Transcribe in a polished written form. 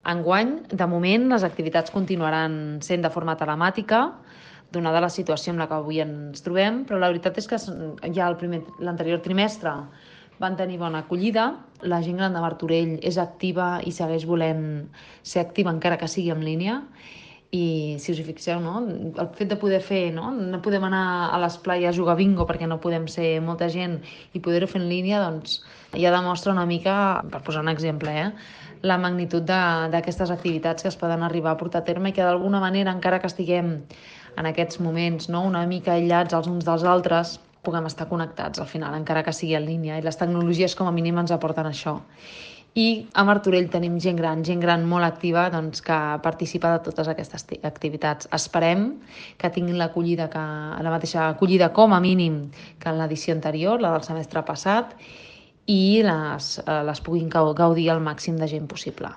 Enguany, de moment, les activitats continuaran sent de forma telemàtica, donada la situació en la que avui ens trobem, però la veritat és que ja l'anterior trimestre van tenir bona acollida. La gent gran de Martorell és activa i segueix volent ser activa encara que sigui en línia. I si us hi fixeu, no? El fet de poder fer, no podem anar a l'esplai a jugar bingo perquè no podem ser molta gent i poder-ho fer en línia, doncs ja demostra una mica, per posar un exemple, la magnitud d'aquestes activitats que es poden arribar a portar a terme i que d'alguna manera, encara que estiguem en aquests moments una mica aïllats els uns dels altres, puguem estar connectats al final, encara que sigui en línia, i les tecnologies com a mínim ens aporten això. I a Martorell tenim gent gran molt activa, doncs, que participa de totes aquestes activitats. Esperem que tinguin la mateixa acollida com a mínim que en l'edició anterior, la del semestre passat, i les puguin gaudir al màxim de gent possible.